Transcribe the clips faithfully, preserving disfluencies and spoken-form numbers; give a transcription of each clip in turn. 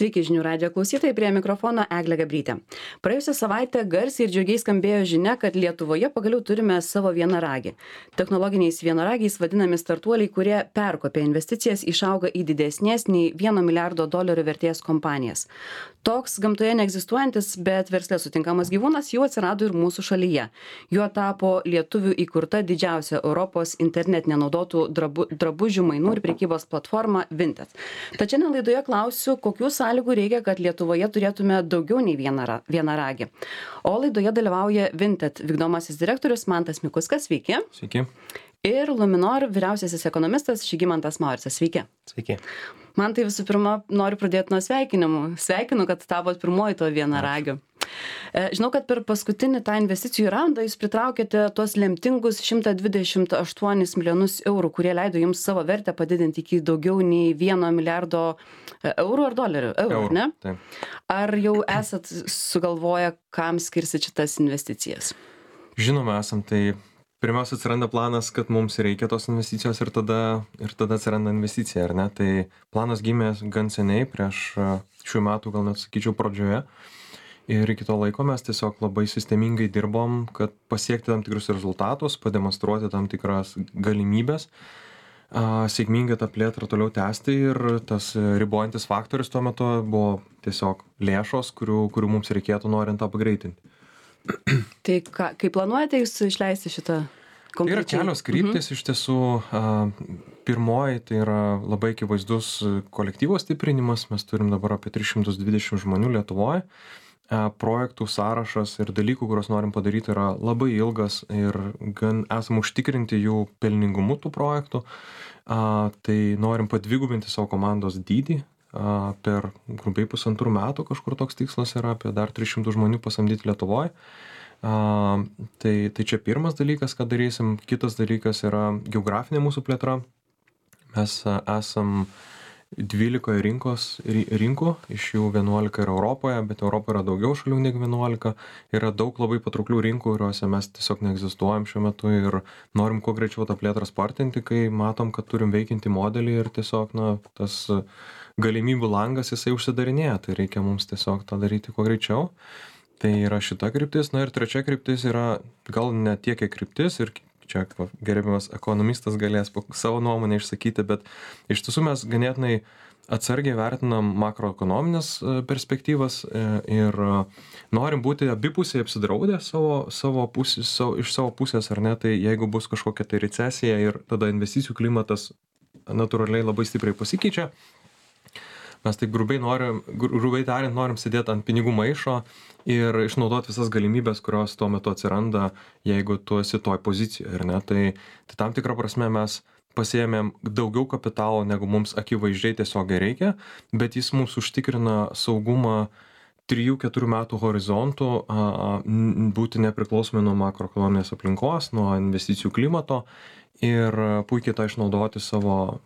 Sveiki žinių radijo klausytojai, prie mikrofono Eglė Gabrytė. Praėjusią savaitę garsiai ir džiugiai skambėjo žinia, kad Lietuvoje pagaliau turime savo vienaragį. Technologiniais vienaragiais vadinami startuoliai, kurie perkopė investicijas, išauga į didesnės nei vieno milijardo dolerių vertės kompanijas. Toks gamtoje neegzistuojantis, bet versle sutinkamas gyvūnas jau atsirado ir mūsų šalyje. Juo tapo lietuvių įkurta didžiausia Europos internetinė naudotų drabu, drabužių mainų ir prekybos platforma Vinted. Tačiau šiandien laidoje klausiu, kokių sąlygų reikia, kad Lietuvoje turėtume daugiau nei vieną, vieną ragį. O laidoje dalyvauja Vinted vykdomasis direktorius Mantas Mikuskas, sveiki. Sveiki. Ir Luminor vyriausiasis ekonomistas Žygimantas Mauricas, sveiki. Sveiki. Man tai visų pirma noriu pradėti nuo sveikinimų. Sveikinu, kad tapot pirmoji to vienaragiu. Žinau, kad per paskutinį tą investicijų raundą jūs pritraukėte tuos lemtingus šimtą dvidešimt aštuonis milijonus eurų, kurie leido jums savo vertę padidinti iki daugiau nei vieno milijardo eurų ar dolerių. Eurų, Eurų, ne? taip. Ar jau esat sugalvoję, kam skirsit šitas investicijas? Žinoma, esam, tai pirmiausia atsiranda planas, kad mums reikia tos investicijos ir tada, ir tada atsiranda investicija, ar ne? Tai planas gimė gan seniai, prieš šių metų, gal net sakyčiau, pradžioje. Ir iki to laiko mes tiesiog labai sistemingai dirbom, kad pasiekti tam tikrus rezultatus, pademonstruoti tam tikras galimybės, a, sėkmingai tą plėtrą toliau tęsti ir tas ribojantis faktorius tuo metu buvo tiesiog lėšos, kurių, kurių mums reikėtų norint tą pagreitinti. Tai ką, kaip planuojate jūs išleisti šitą konkrečiai? Yra kelios kryptis, mhm. iš tiesų. A, pirmoji tai yra labai akivaizdus kolektyvo stiprinimas, mes turim dabar apie tris šimtus dvidešimt žmonių Lietuvoje. Projektų sąrašas ir dalykų, kuriuos norim padaryti, yra labai ilgas ir gan esam užtikrinti jų pelningumu tų projektų. A, tai norim padvigubinti savo komandos dydį. A, per grubiai pusantrų metų kažkur toks tikslas yra, apie dar tris šimtus žmonių pasamdyti Lietuvoje. A, tai, tai čia pirmas dalykas, ką darysim. Kitas dalykas yra geografinė mūsų plėtra. Mes a, esam dvylikoje rinkos, rinkų, iš jų vienuolika yra Europoje, bet Europoje yra daugiau šalių negu vienuolika. Yra daug labai patrauklių rinkų, kuriuose mes tiesiog neegzistuojam šiuo metu ir norim kuo greičiau tą plėtrą spartinti, kai matom, kad turim veikiantį modelį ir tiesiog na, tas galimybių langas jisai užsidarinėja, tai reikia mums tiesiog tą daryti kuo greičiau. Tai yra šita kryptis. Na ir trečia kryptis yra gal ne tiek kiek kryptis ir čia gerbiamas ekonomistas galės savo nuomonę išsakyti, bet iš tiesų mes ganėtinai atsargiai vertinam makroekonominės perspektyvas ir norim būti abipusiai apsidraudę savo, savo pusės, savo, iš savo pusės, ar ne, tai jeigu bus kažkokia tai recesija ir tada investicijų klimatas natūraliai labai stipriai pasikeičia, mes taip grubiai norim, grubiai tariant, norim sėdėti ant pinigų maišo ir išnaudoti visas galimybės, kurios tuo metu atsiranda, jeigu tu esi toj pozicijoje, ar ne? Tai, tai tam tikrą prasme mes pasiėmėm daugiau kapitalo, negu mums akivaizdžiai tiesiog reikia, bet jis mums užtikrina saugumą trijų keturių metų horizontų, būti nepriklausomi nuo makroekonominės aplinkos, nuo investicijų klimato ir puikiai tą išnaudoti savo,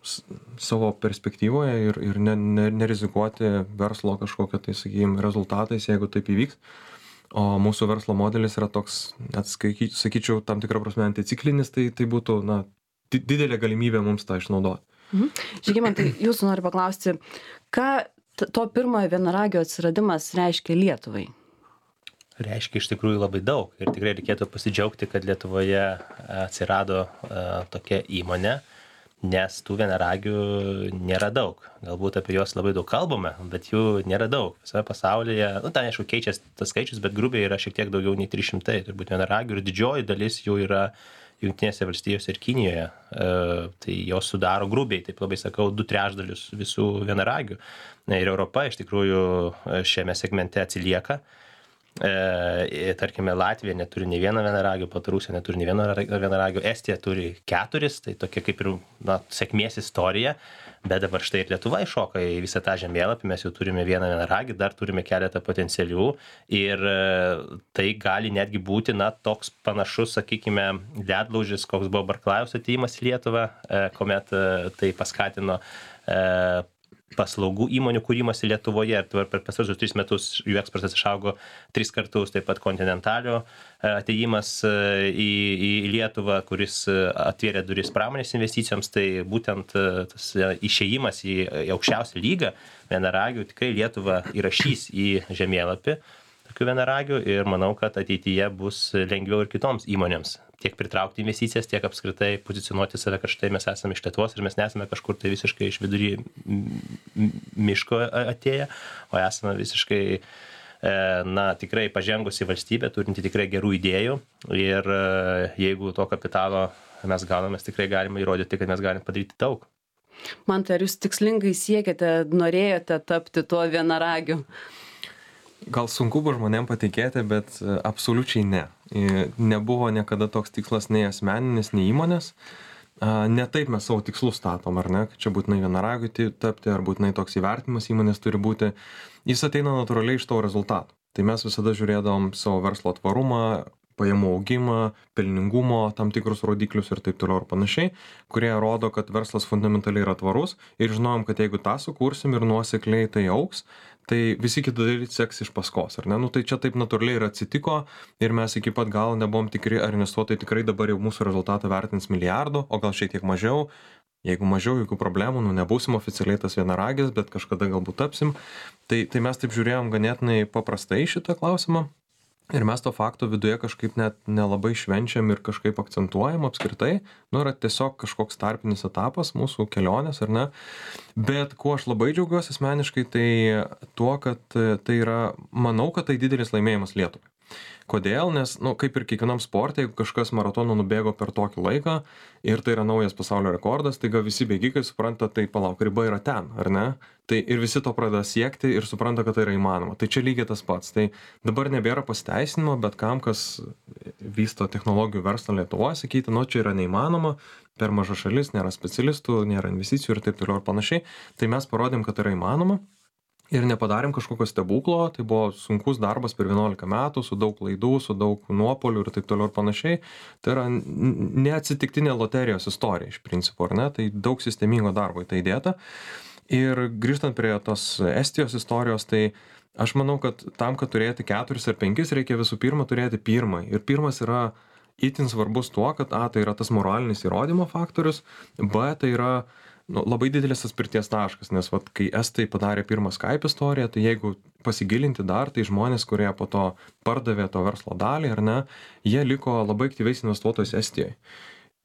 savo perspektyvoje ir, ir ne, ne, nerizikuoti verslo kažkokio, tai sakykime, rezultatais, jeigu taip įvyks. O mūsų verslo modelis yra toks, net sakyčiau, tam tikrą prasme anticiklinis, tai, tai būtų na, didelė galimybė mums tą išnaudoti. Mhm. Žygimantai, jūsų noriu paklausti, ką to pirmojo vienaragio atsiradimas reiškia Lietuvai? Reiškia iš tikrųjų labai daug ir tikrai reikėtų pasidžiaugti, kad Lietuvoje atsirado uh, tokia įmonė, nes tų vienaragių nėra daug. Galbūt apie juos labai daug kalbame, bet jų nėra daug. Visame pasaulyje, nu, ten aišku keičiasi tas skaičius, bet grubiai yra šiek tiek daugiau nei trys šimtai, turbūt vienaragių ir didžioji dalis jų yra Jungtinėse valstijose ir Kinijoje. Uh, tai jos sudaro grubiai, taip labai sakau, du trečdalius visų vienaragių. Ir Europa iš tikrųjų šiame segmente atsilieka. E, tarkime, Latvija neturi nei vieno vienaragio, Baltarusija neturi nei vieno vienaragio, Estija turi keturis, tai tokia kaip ir na, sėkmės istorija, bet dabar štai ir Lietuva iššoka į visą tą žemėlapį, mes jau turime vieną vienaragį, dar turime keletą potencialių ir e, tai gali netgi būti na, toks panašus, sakykime, ledlaužis, koks buvo Barklajaus atėjimas į Lietuvą, e, kuomet e, tai paskatino e, paslaugų įmonių kūrimasi Lietuvoje. Ir per pastaruosius tris metus jų eksportas išaugo tris kartus, taip pat Continentalio atėjimas į, į Lietuvą, kuris atvėrė duris pramonės investicijoms, tai būtent tas išėjimas į aukščiausią lygą vienaragių tikrai Lietuvą įrašys į žemėlapį tokių vienaragių ir manau, kad ateityje bus lengviau ir kitoms įmonėms tiek pritraukti investicijas, tiek apskritai pozicionuoti save, kad štai mes esame iš Lietuvos ir mes nesame kažkur tai visiškai iš vidury miško atėję, o esame visiškai, na, tikrai pažengusi valstybė, turinti tikrai gerų idėjų ir jeigu to kapitalo mes gauname, mes tikrai galime įrodyti, kad mes galime padaryti daug. Man tai ar jūs tikslingai siekėte, norėjote tapti tuo vienaragiu? Gal sunku buvo žmonėm patikėti, bet absoliučiai ne. Nebuvo niekada toks tikslas nei asmeninis, nei įmonės. Ne taip mes savo tikslus statom, ar ne, kad čia būtinai vienaragiui tapti, ar būtinai toks įvertinimas įmonės turi būti. Jis ateina natūraliai iš tavo rezultatų. Tai mes visada žiūrėdavom savo verslo tvarumą, pajamų augimą, pelningumo, tam tikrus rodiklius ir taip toliau ir panašiai, kurie rodo, kad verslas fundamentaliai yra tvarus ir žinom, kad jeigu tą sukursim ir nuosekliai tai augs, tai visi kiti daryti seks iš paskos, ar ne? Nu, tai čia taip natūraliai ir atsitiko ir mes iki pat galo nebuvom tikri, ar investuotojai tikrai dabar jau mūsų rezultatą vertins milijardo, o gal šiek tiek mažiau. Jeigu mažiau, jokių problemų, nu nebūsim oficialiai tas vienaragis, bet kažkada galbūt tapsim. Tai, tai mes taip žiūrėjom ganėtinai paprastai šitą klausimą. Ir mes to fakto viduje kažkaip net nelabai švenčiam ir kažkaip akcentuojam apskritai. Nu, yra tiesiog kažkoks tarpinis etapas mūsų kelionės, ar ne? Bet kuo aš labai džiaugiuosi asmeniškai, tai tuo, kad tai yra, manau, kad tai didelis laimėjimas Lietuvai. Kodėl? Nes, nu, kaip ir kiekvienam sporte, jeigu kažkas maratoną nubėgo per tokį laiką ir tai yra naujas pasaulio rekordas, tai gal visi bėgikai supranta, tai palauk, riba yra ten, ar ne? Tai ir visi to pradeda siekti ir supranta, kad tai yra įmanoma. Tai čia lygiai tas pats. Tai dabar nebėra pasiteisinimo, bet kam, kas vysto technologijų verslą Lietuvoje, sakyti, nu, čia yra neįmanoma, per maža šalis, nėra specialistų, nėra investicijų ir taip toliau ir panašiai. Tai mes parodėm, kad tai yra įmanoma. Ir nepadarėm kažkokio stebuklo, tai buvo sunkus darbas per vienuolika metų, su daug klaidų, su daug nuopolių ir taip toliau ir panašiai. Tai yra neatsitiktinė loterijos istorija iš principo, ar ne? Tai daug sistemingo darbo į tai įdėta. Ir grįžtant prie tos Estijos istorijos, tai aš manau, kad tam, kad turėti keturis ar penkis, reikia visų pirma turėti pirmą. Ir pirmas yra itin svarbus tuo, kad A, tai yra tas moralinis įrodymo faktorius, B, tai yra nu, labai didelis atspirties taškas, nes vat, kai estai padarė pirmą Skype istoriją, tai jeigu pasigilinti dar, tai žmonės, kurie po to pardavė to verslo dalį, ar ne, jie liko labai aktyviais investuotojais Estijoje.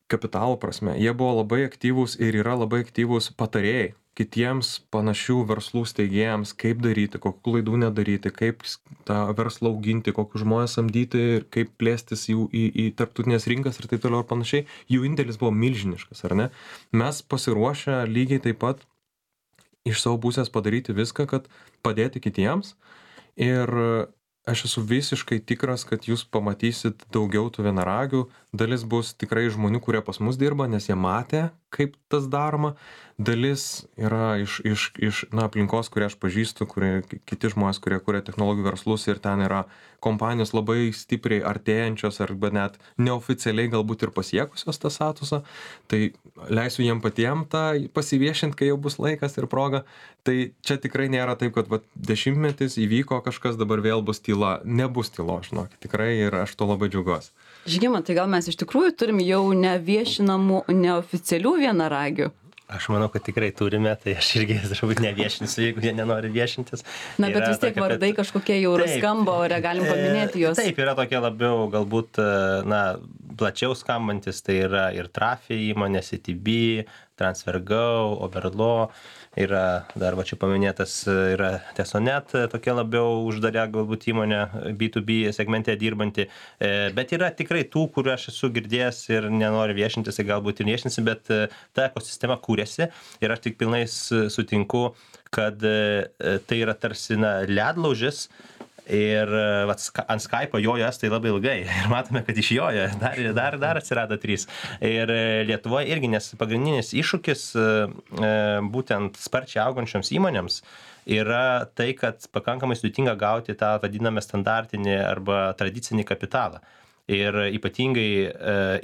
Kapitalo prasme, jie buvo labai aktyvūs ir yra labai aktyvūs patarėjai kitiems panašių verslų steigėjams, kaip daryti, kokių klaidų nedaryti, kaip tą verslą auginti, kokius žmonės samdyti, kaip plėstis jų į, į tarptautinės rinkas ir taip toliau ir panašiai. Jų indėlis buvo milžiniškas, ar ne? Mes pasiruošę lygiai taip pat iš savo pusės padaryti viską, kad padėti kitiems. Ir aš esu visiškai tikras, kad jūs pamatysit daugiau tų vienaragių. Dalis bus tikrai žmonių, kurie pas mus dirba, nes jie matė, kaip tas daroma. Dalis yra iš, iš, iš na, aplinkos, kurie aš pažįstu, kurie, kiti žmonės, kurie kuria technologijų verslus ir ten yra kompanijos labai stipriai artėjančios arba net neoficialiai galbūt ir pasiekusios tą statusą. Tai leisiu jiem patiem tą pasiviešinti, kai jau bus laikas ir proga. Tai čia tikrai nėra taip, kad va, dešimtmetis įvyko kažkas, dabar vėl bus tyla. Nebus tylo, žinokit, tikrai ir aš to labai džiaugiuosi. Žygimantai, gal mes iš tikrųjų turim jau neviešinamų, neoficialių vienaragių? Aš manau, kad tikrai turime, tai aš irgi turbūt neviešinsiu, jeigu jie nenori viešintis. Na, bet yra vis tiek tokia, vardai bet... kažkokie jau skamba, ore galim paminėti juos. Taip, yra tokie labiau galbūt, na, plačiau skambantis, tai yra ir Trafi įmonė, C T B, TransferGo, Overlaw, yra dar va čia paminėtas, yra Tesonet, tokia labiau uždarė galbūt įmonė B to B segmente dirbanti, bet yra tikrai tų, kurių aš esu girdėjęs ir nenoriu viešintis, tai galbūt ir viešinsi, bet ta ekosistema kūrėsi ir aš tik pilnai sutinku, kad tai yra tarsi na, ledlaužis. Ir vat, ant Skype'o jojo estai labai ilgai ir matome, kad išjojo, dar, dar, dar atsirado trys. Ir Lietuvoje irgi, nes pagrindinis iššūkis būtent sparčiai augančioms įmonėms yra tai, kad pakankamai sudėtinga gauti tą vadinamą standartinį arba tradicinį kapitalą. Ir ypatingai,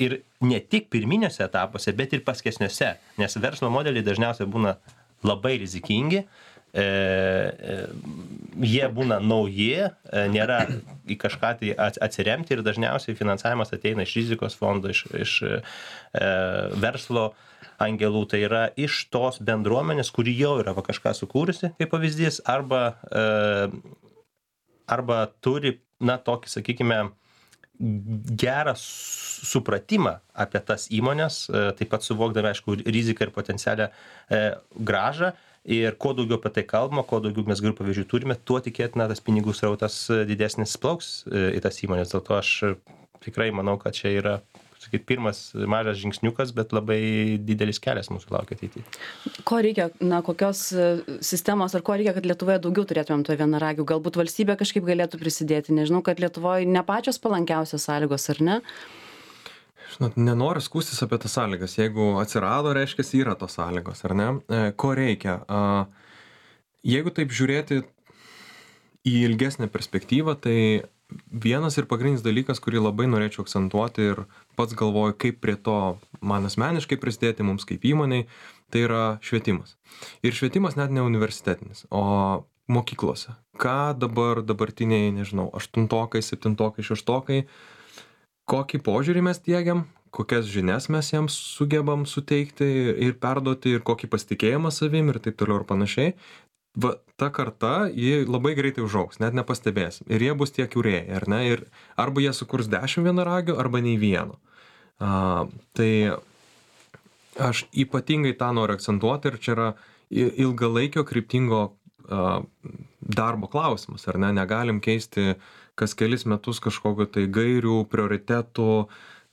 ir ne tik pirminiuose etapuose, bet ir paskesniuose, nes verslo modeliai dažniausiai būna labai rizikingi, e, e, jie būna nauji, e, nėra į kažką tai atsiremti ir dažniausiai finansavimas ateina iš rizikos fondo, iš, iš e, verslo angelų, tai yra iš tos bendruomenės, kuri jau yra va, kažką sukūrusi, kaip pavyzdys, arba, e, arba turi, na, tokį, sakykime, gerą supratimą apie tas įmonės, taip pat suvokdami, aišku, riziką ir potencialią e, gražą. Ir kuo daugiau apie tai kalbama, kuo daugiau mes gerų pavyzdžių turime, tuo tikėtina tas pinigų srautas didesnis plauks į tas įmonės. Dėl to aš tikrai manau, kad čia yra, sakyt, pirmas mažas žingsniukas, bet labai didelis kelias mūsų laukia ateityje. Ko reikia, na, kokios sistemos ar ko reikia, kad Lietuvoje daugiau turėtumėm to vienaragių? Galbūt valstybė kažkaip galėtų prisidėti. Nežinau, kad Lietuvoje ne pačios palankiausios sąlygos, ar ne? Žinot, nenoriu skūstis apie tas sąlygas. Jeigu atsirado, reiškia, yra tos sąlygos, ar ne? Ko reikia? Jeigu taip žiūrėti į ilgesnę perspektyvą, tai vienas ir pagrindinis dalykas, kurį labai norėčiau akcentuoti ir pats galvoju, kaip prie to man asmeniškai prisidėti mums kaip įmoniai, tai yra švietimas. Ir švietimas net ne universitetinis, o mokyklose. Ką dabar dabartiniai, nežinau, aštuntokai, septintokai, šeštokai, kokį požiūrį mes diegiam, kokias žinias mes jiems sugebam suteikti ir perduoti ir kokį pasitikėjimą savim ir taip toliau ir panašiai. Va, ta karta, ji labai greitai užaugs, net nepastebėsim. Ir jie bus tie kūrėjai, ar ne? Ir arba jie sukurs dešimt vienaragių, arba nei vieno. A, tai aš ypatingai tą noriu akcentuoti ir čia yra ilgalaikio kryptingo a, darbo klausimas, ar ne? Negalim keisti kas kelis metus kažkokio tai gairių, prioritetų.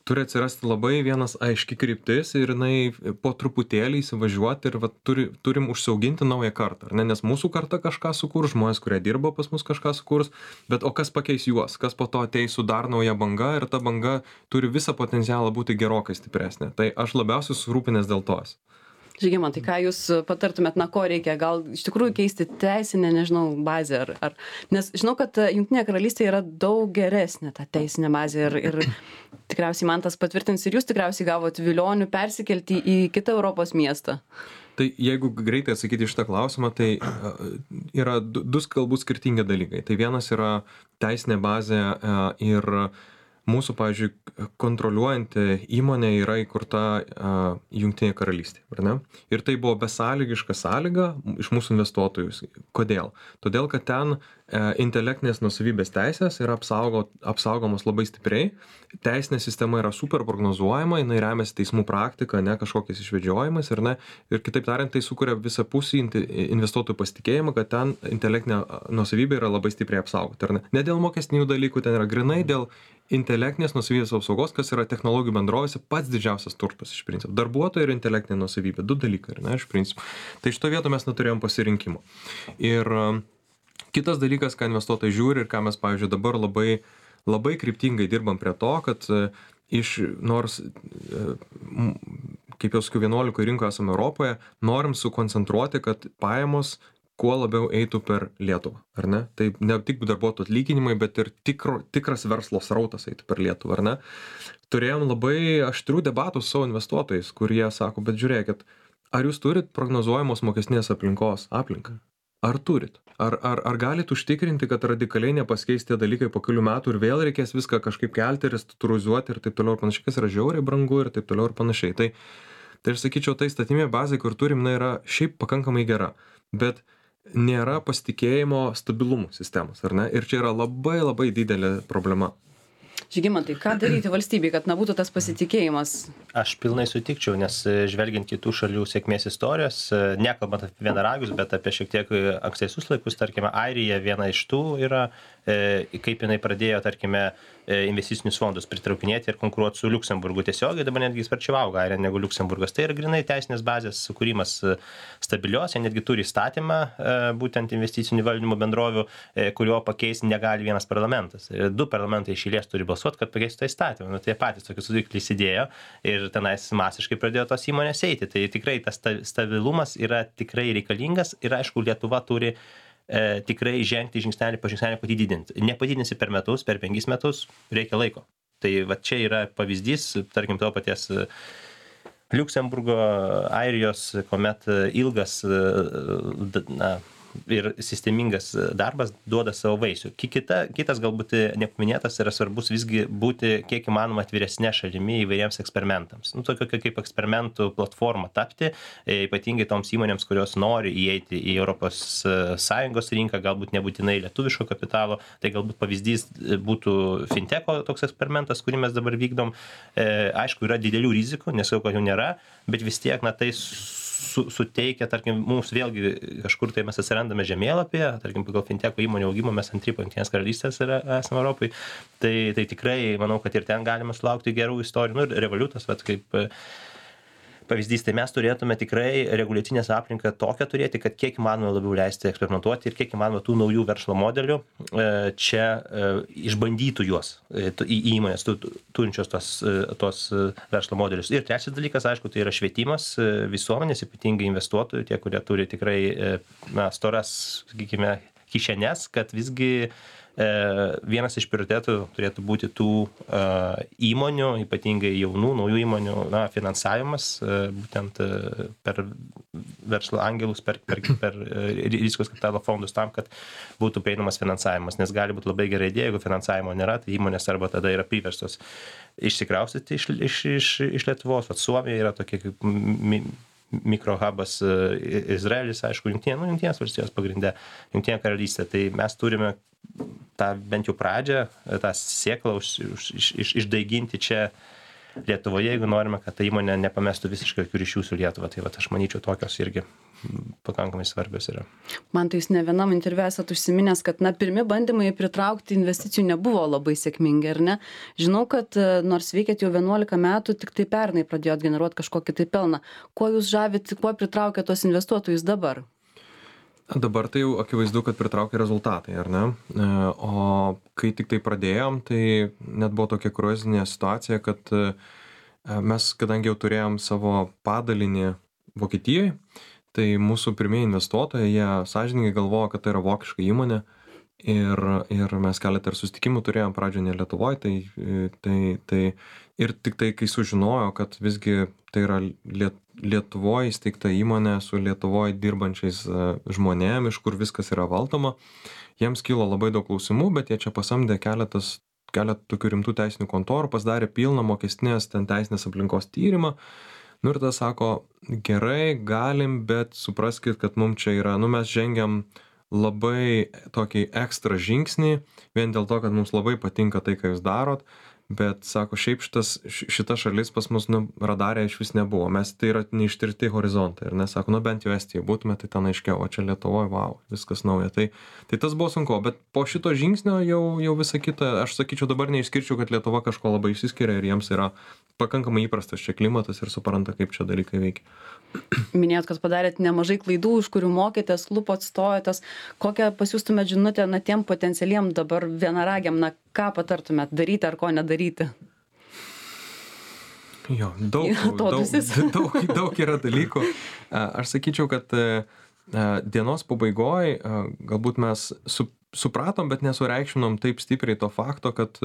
Turi atsirasti labai vienas aiški kryptis ir jinai po truputėlį įsivažiuoti ir va, turi, turim užsiauginti naują kartą. Ne? Nes mūsų karta kažką sukurs, žmonės, kurie dirba pas mus kažką sukurs, bet o kas pakeis juos, kas po to ateis su dar nauja banga ir ta banga turi visą potencialą būti gerokai stipresnė. Tai aš labiausiai surūpinęs dėl tos. Žygimantai, ką jūs patartumėt, na ko reikia, gal iš tikrųjų keisti teisinę, nežinau, bazę, ar, ar... nes žinau, kad Jungtinėje Karalystėje yra daug geresnė ta teisinė bazė ir, ir tikriausiai man tas patvirtins ir jūs tikriausiai gavot vilionių persikelti į kitą Europos miestą. Tai jeigu greitai atsakyti iš tą klausimą, tai yra du, du galbūt skirtingi dalykai. Tai vienas yra teisinė bazė ir mūsų, pavyzdžiui, kontroliuojanti įmonė yra įkurta uh, Jungtinėje Karalystėje, ar ne? Ir tai buvo besąlygiška sąlyga iš mūsų investuotojus. Kodėl? Todėl, kad ten uh, intelektinės nuosavybės teisės yra apsaugo, apsaugomos labai stipriai, teisinė sistema yra super prognozuojama, jinai remiasi teismų praktika, ne kažkokiais išvedžiojimais, ar ne? Ir kitaip tariant, tai sukuria visapusį investuotojų pasitikėjimą, kad ten intelektinė nuosavybė yra labai stipriai apsaugota, ar ne? Ne dėl mokestinių dalykų, ten yra grinai dėl intelektinės nuosavybės apsaugos, kas yra technologijų bendrovėse pats didžiausias turtas iš principo. Darbuotojai ir intelektinė nuosavybė, du dalykai, ne, iš principo. Tai šito vieto mes neturėjom pasirinkimo. Ir uh, kitas dalykas, ką investuotojai žiūri ir ką mes, pavyzdžiui, dabar labai, labai kryptingai dirbam prie to, kad uh, iš, nors, uh, kaip jau sakiau, vienuolikoje rinkoje esame Europoje, norim sukoncentruoti, kad pajamos kuo labiau eitų per Lietuvą, ar ne? Tai ne tik darbuotojų atlyginimai, bet ir tikro, tikras verslo srautas eitų per Lietuvą, ar ne? Turėjom labai aštrių debatų su savo investuotojais, kurie sako, bet žiūrėkit, ar jūs turit prognozuojamos mokestinės aplinkos aplinką? Ar turit? Ar, ar, ar galit užtikrinti, kad radikaliai nepasikeis tie dalykai po kelių metų ir vėl reikės viską kažkaip kelti, restruktūrizuoti ir taip toliau ir panašiai, kas yra žiauriai brangu ir taip toliau ir panašiai. Tai, tai aš sakyčiau, tai statyminė bazė, kur turim, na, yra šiaip pakankamai gera, bet nėra pasitikėjimo stabilumų sistemos, ar ne? Ir čia yra labai labai didelė problema. Žygimantai, ką daryti valstybei, kad na, būtų tas pasitikėjimas? Aš pilnai sutikčiau, nes žvelgiant kitų šalių sėkmės istorijos, nekalbant apie vienaragius, bet apie šiek tiek ankstesnius laikus, tarkime, Airija viena iš tų yra, kaip jinai pradėjo, tarkime, investicinius fondus pritraukinėti ir konkuruoti su Liuksemburgu tiesiogiai, dabar netgi sparčiau auga Airija negu Liuksemburgas. Tai yra grinai teisinės bazės sukūrimas stabilios, jie netgi turi įstatymą, būtent investicinių valdymo bendrovių, kurio pakeisti negali vienas parlamentas. Du parlamentai iš eilės turi balsuoti, kad pakeistų tą įstatymą. Nu, tai patys tokius sudiklius įdėjo ir tenais masiškai pradėjo tos įmonės eiti. Tai tikrai tas stabilumas yra tikrai reikalingas ir aišku, Lietuva turi e, tikrai žengti žingsnelį po žingsnelį, kad jį didinti. Nepadidinsi per metus, per penkis metus, reikia laiko. Tai va čia yra pavyzdys, tarkim, to paties Liuksemburgo, Airijos, kuomet ilgas na, ir sistemingas darbas duoda savo vaisių. Kita, kitas galbūt nepaminėtas yra svarbus visgi būti kiek įmanoma atviresnė šalimi įvairiems eksperimentams. Nu, tokio kaip eksperimentų platforma tapti, ypatingai toms įmonėms, kurios nori įeiti į Europos Sąjungos rinką, galbūt nebūtinai lietuviško kapitalo, tai galbūt pavyzdys būtų finteko toks eksperimentas, kurį mes dabar vykdom. E, aišku, yra didelių rizikų, nesakau, kad jų nėra, bet vis tiek, na, tai su, suteikia, tarkim, mums vėlgi kažkur tai mes atsirandame žemėlapyje, tarkim, pagal finteko įmonių augimą mes antri po Jungtinės karalystės yra, esame Europai, tai, tai tikrai manau, kad ir ten galima sulaukti gerų istorijų. Nu, ir Revolutas, vat, kaip pavyzdys, tai mes turėtume tikrai reguliacinės aplinką tokią turėti, kad kiek įmanoma labiau leisti eksperimentuoti ir kiek įmanoma tų naujų verslo modelių čia išbandytų juos į įmonės turinčios tos, tos verslo modelius. Ir trečias dalykas, aišku, tai yra švietimas visuomenės, ypatingai investuotojų, tie, kurie turi tikrai na, storas, sakykime, kišenes, kad visgi vienas iš prioritetų turėtų būti tų įmonių, ypatingai jaunų, naujų įmonių, na, finansavimas, būtent per verslo angelus, per, per, per rizikos kapitalo fondus tam, kad būtų prieinamas finansavimas, nes gali būti labai gera idėja, jeigu finansavimo nėra, tai įmonės arba tada yra priverstos išsikraustyti iš, iš, iš, iš Lietuvos. Vat Suomija yra tokia kaip mi, mikrohubas, Izraelis, aišku, jungtinė, nu, jungtinės valstijos pagrinde, jungtinė karalystė, tai mes turime tą bent jau pradžią, tą sėklą už, už, iš, išdaiginti čia Lietuvoje, jeigu norime, kad ta įmonė nepamestų visiškai jokių ryšių su Lietuva. Tai vat, aš manyčiau, tokios irgi pakankamai svarbios yra. Man tai jūs ne vienam interviu esat užsiminęs, kad na, pirmi bandymai pritraukti investicijų nebuvo labai sėkmingi, ar ne? Žinau, kad nors veikėt jau vienuolika metų, tik tai pernai pradėjot generuoti kažkokį tai pelną. Kuo jūs žavit, kuo pritraukia tos investuotojus dabar? Dabar tai jau akivaizdu, kad pritraukia rezultatai, ar ne? O kai tik tai pradėjom, tai net buvo tokia kruizinė situacija, kad mes, kadangi jau turėjom savo padalinį Vokietijoje, tai mūsų pirmieji investuotojai, jie sąžiningai galvojo, kad tai yra vokiška įmonė ir, ir mes keletą ir susitikimų turėjom pradžioje ne Lietuvoje, tai, tai, tai ir tik tai, kai sužinojo, kad visgi tai yra Liet, Lietuvoje įsteigta įmonė su Lietuvoje dirbančiais žmonėm, iš kur viskas yra valdoma, jiems kilo labai daug klausimų, bet jie čia pasamdė keletas, keletą tokių rimtų teisinių kontorų, pasidarė pilną mokestinės ten teisinės aplinkos tyrimą. Nu ir tada sako, gerai, galim, bet supraskit, kad mums čia yra, nu mes žengiam labai tokį ekstra žingsnį, vien dėl to, kad mums labai patinka tai, ką jūs darot, bet, sako, šiaip šitas, šita šalis pas mus nu, radarė iš vis nebuvo, mes tai yra neištirti horizontai, ir nesako, nu bent jau Estijoje būtume, tai ten aiškiau, o čia Lietuvoje, wow, viskas nauja. Tai, tai tas buvo sunku, bet po šito žingsnio jau, jau visa kita, aš sakyčiau, dabar neišskirčiau, kad Lietuva kažko labai išsiskiria ir jiems yra pakankamai įprastas čia klimatas ir supranta, kaip čia dalykai veikia. Minėjot, kad padarėt nemažai klaidų, už kurių mokėtės, lupot, stojotės. Kokią pasiųstumėt žinutę na, tiem potencialiem dabar vienaragiam, na ką patartumėt daryti ar ko nedaryti? Jo, daug, daug, daug, daug yra dalykų. Aš sakyčiau, kad dienos pabaigoje galbūt mes su, supratom, bet nesureikšminom taip stipriai to fakto, kad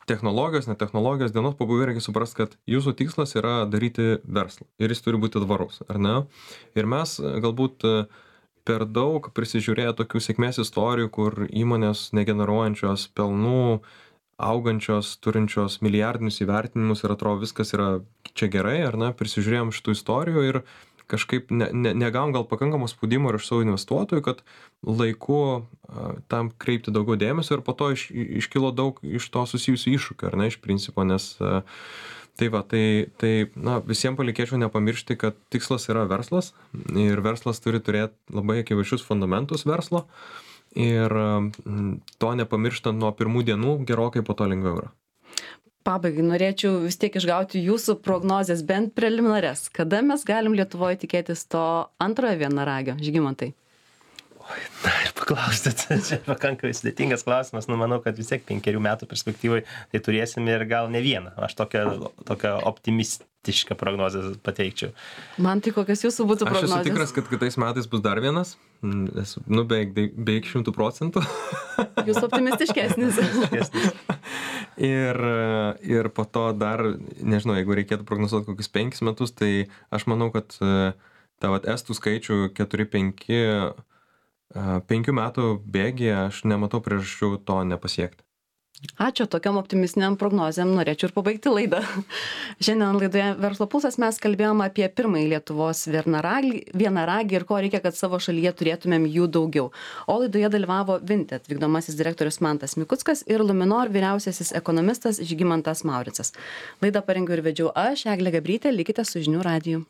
technologijos, ne technologijos, dienos pabaigoje reikia suprasti, kad jūsų tikslas yra daryti verslą ir jis turi būti tvarus, ar ne? Ir mes galbūt per daug prisižiūrėję tokių sėkmės istorijų, kur įmonės negeneruojančios pelnų, augančios, turinčios milijardinius įvertinimus ir atrodo viskas yra čia gerai, ar ne? Prisižiūrėjom šitų istorijų ir kažkaip ne, ne, negavom gal pakankamo spaudimo ir iš savo investuotojų, kad laiku a, tam kreipti daugiau dėmesio ir po to iš, iškilo daug iš to susijusių iššūkių, ar ne, iš principo, nes a, tai va, tai, tai na, visiems palikėčiau nepamiršti, kad tikslas yra verslas ir verslas turi turėti labai akivaizdžius fundamentus verslo ir a, to nepamirštant nuo pirmų dienų gerokai po to lengviau yra. Pabaigai norėčiau vis tiek išgauti jūsų prognozes, bent preliminarias. Kada mes galim Lietuvoje tikėtis to antrojo vienaragio, Žygimantai? Oi, na ir paklaustit, čia pakankamai sudėtingas klausimas, nu manau, kad vis tiek penkerių metų perspektyvai tai turėsim ir gal ne vieną. Aš tokią, tokią optimistišką prognozę pateikčiau. Man tai kokios jūsų būtų prognozės? Aš esu tikras, kad kitais metais bus dar vienas, esu, nu beveik, beveik šimtų procentų. Jūs optimistiškesnis. Ir, ir po to dar, nežinau, jeigu reikėtų prognozuoti kokius penkis metus, tai aš manau, kad tą vat estų skaičių keturi penki, penkių metų bėgyje aš nematau priežasčių to nepasiekti. Ačiū, tokiam optimistiniam prognozėm norėčiau ir pabaigti laidą. Šiandien laidoje Verslo pulsas mes kalbėjom apie pirmąjį Lietuvos vienaragį, vienaragį ir ko reikia, kad savo šalyje turėtumėm jų daugiau. O laidoje dalyvavo Vinted vykdomasis direktorius Mantas Mikuckas ir Luminor vyriausiasis ekonomistas Žygimantas Mauricas. Laidą parengiau ir vedžiau aš, Eglė Gabrytė, likite su žinių radiju.